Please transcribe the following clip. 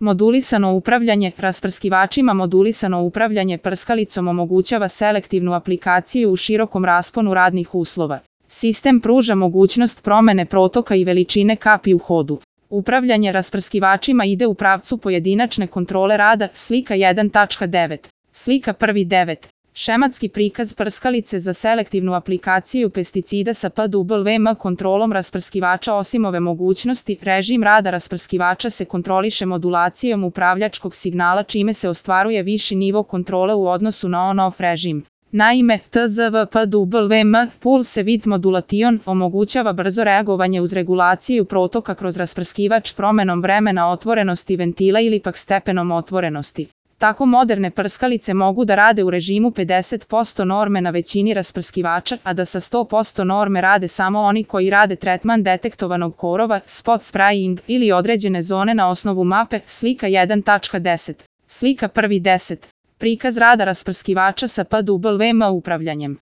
Modulisano upravljanje rasprskivačima. Modulisano upravljanje prskalicom omogućava selektivnu aplikaciju u širokom rasponu radnih uslova. Sistem pruža mogućnost promene protoka i veličine kapi u hodu. Upravljanje rasprskivačima ide u pravcu pojedinačne kontrole rada. Slika 1.9. Slika 1.9. Šematski prikaz prskalice za selektivnu aplikaciju pesticida sa PWM kontrolom rasprskivača. Osim ove mogućnosti, režim rada rasprskivača se kontroliše modulacijom upravljačkog signala, čime se ostvaruje viši nivo kontrole u odnosu na on-off režim. Naime, TZV-PWM Pulse Width Modulation omogućava brzo reagovanje uz regulaciju protoka kroz rasprskivač promenom vremena otvorenosti ventila ili pak stepenom otvorenosti. Tako moderne prskalice mogu da rade u režimu 50% norme na većini rasprskivača, a da sa 100% norme rade samo oni koji rade tretman detektovanog korova, spot spraying ili određene zone na osnovu mape. Slika 1.10. Slika 1.10. Prikaz rada rasprskivača sa PWM upravljanjem.